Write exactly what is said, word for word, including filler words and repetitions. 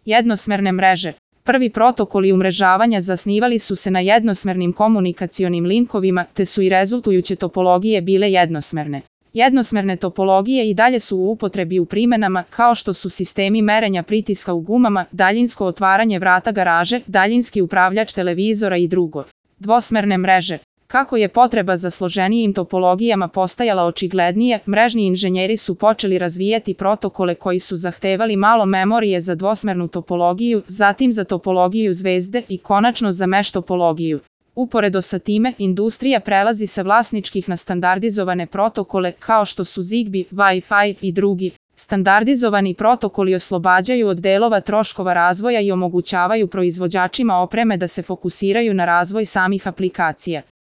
Jednosmerne mreže. Prvi protokoli umrežavanja zasnivali su se na jednosmernim komunikacionim linkovima, te su i rezultujuće topologije bile jednosmerne. Jednosmerne topologije i dalje su u upotrebi u primenama, kao što su sistemi merenja pritiska u gumama, daljinsko otvaranje vrata garaže, daljinski upravljač televizora i drugo. Dvosmerne mreže. Kako je potreba za složenijim topologijama postajala očiglednije, mrežni inženjeri su počeli razvijati protokole koji su zahtevali malo memorije za dvosmernu topologiju, zatim za topologiju zvezde i konačno za mesh topologiju. Uporedo sa time, industrija prelazi sa vlasničkih na standardizovane protokole kao što su Zigbee, Wi-Fi i drugi. Standardizovani protokoli oslobađaju od delova troškova razvoja i omogućavaju proizvođačima opreme da se fokusiraju na razvoj samih aplikacija.